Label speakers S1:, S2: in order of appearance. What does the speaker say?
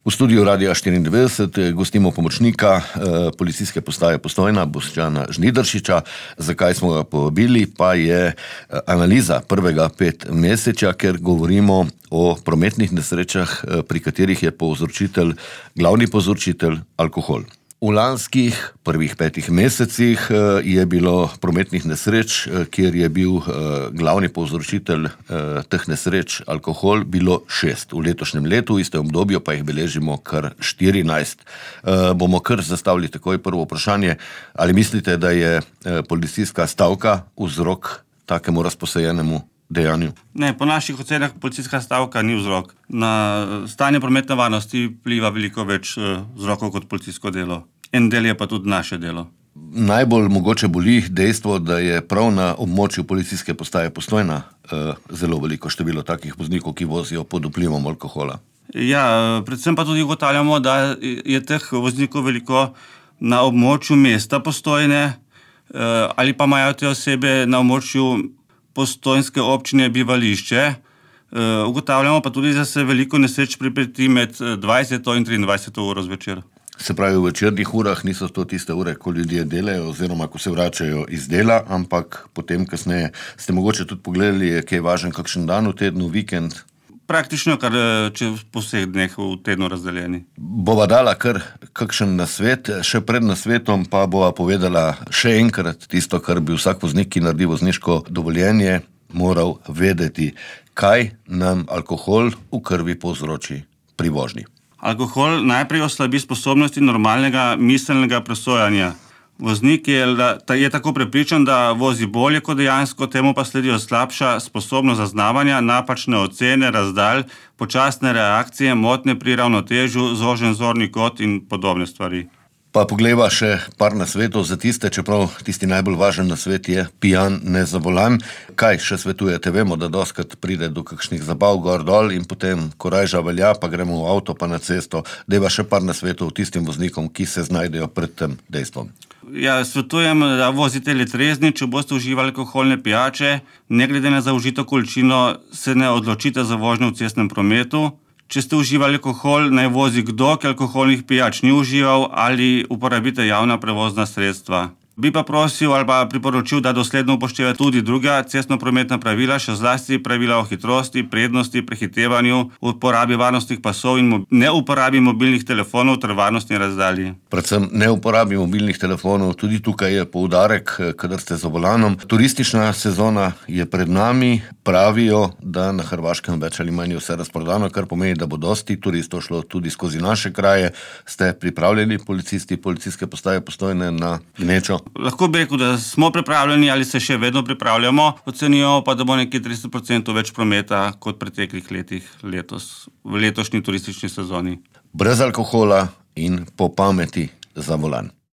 S1: V studiu Radia 94 gostimo pomočnika policijske postaje Postojna, Boštjana Žnidaršiča. Zakaj smo ga povabili, pa je analiza prvega 5 meseča, ker govorimo o prometnih nesrečah, pri katerih je glavni povzročitelj alkohol. V lanskih prvih 5 mesecih je bilo prometnih nesreč, kjer je bil glavni povzročitelj teh nesreč alkohol, bilo 6. V letošnjem letu, v istem obdobju, pa jih beležimo kar 14. Bomo kar zastavili takoj prvo vprašanje. Ali mislite, da je policijska stavka vzrok takemu razposajenemu dejanju?
S2: Ne, po naših ocenah policijska stavka ni vzrok. Na stanje prometne varnosti vpliva veliko več vzrokov kot policijsko delo. En del je pa tudi naše delo.
S1: Najbolj mogoče boli dejstvo, da je prav na območju policijske postaje Postojna zelo veliko število takih voznikov, ki vozijo pod vplivom alkohola.
S2: Ja, predvsem pa tudi ugotavljamo, da je teh voznikov veliko na območju mesta Postojne, ali pa imajo te osebe na območju postojnske občine bivališče. Ugotavljamo pa tudi, da se veliko nesreč pripeti med 20. in 23. uro zvečer.
S1: Se pravi, v večernih urah niso to tiste ure, ko ljudje delajo oziroma ko se vračajo iz dela, ampak potem kasneje. Ste mogoče tudi pogledali, je kaj važen kakšen dan v tednu, vikend?
S2: Praktično kar čez po vseh dneh v tednu razdeljeni.
S1: Bova dala kar kakšen nasvet, še pred nasvetom pa bova povedala še enkrat tisto, kar bi vsak voznik, ki naredi vozniško dovoljenje, moral vedeti. Kaj nam alkohol v krvi povzroči pri vožnji?
S2: Alkohol najprej oslabi sposobnosti normalnega miselnega presojanja. Voznik je tako prepričan, da vozi bolje kot dejansko, temu pa sledijo slabša sposobnost zaznavanja, napačne ocene, razdalj, počasne reakcije, motnje pri ravnotežju, zožen zorni kot in podobne stvari. Pa
S1: poglejva še par nasvetov za tiste, čeprav tisti najbolj važen nasvet je pijan ne za volan. Kaj še svetujete? Vemo, da dostikrat pride do kakšnih zabav gor dol in potem korajža velja, pa gremo v avto pa na cesto. Dajva še par nasvetov tistim voznikom, ki se znajdejo pred tem dejstvom.
S2: Ja, svetujem, da vozite le trezni, če boste uživali alkoholne pijače, ne glede na zaužito količino, se ne odločite za vožnjo v cestnem prometu. Če ste uživali alkohol, naj vozi kdo, ki alkoholnih pijač ni užival, ali uporabite javna prevozna sredstva. Bi pa prosil ali pa priporočil, da dosledno upošteva tudi druga cestnoprometna pravila, še zlasti pravila o hitrosti, prednosti, prehitevanju, uporabi varnostnih pasov in ne uporabi mobilnih telefonov ter varnostni razdalji.
S1: Predvsem ne uporabi mobilnih telefonov, tudi tukaj je poudarek, kadar ste za volanom. Turistična sezona je pred nami, pravijo, da na Hrvaškem več ali manj vse razprodano, kar pomeni, da bo dosti turistov šlo tudi skozi naše kraje. Ste pripravljeni policisti policijske postaje Postojne na gnečo?
S2: Lahko bi rekel, da smo pripravljeni ali se še vedno pripravljamo, ocenjujemo pa, da bo nekje 30% več prometa kot v preteklih letih letos, v letošnji turistični sezoni.
S1: Brez alkohola in po pameti za volan.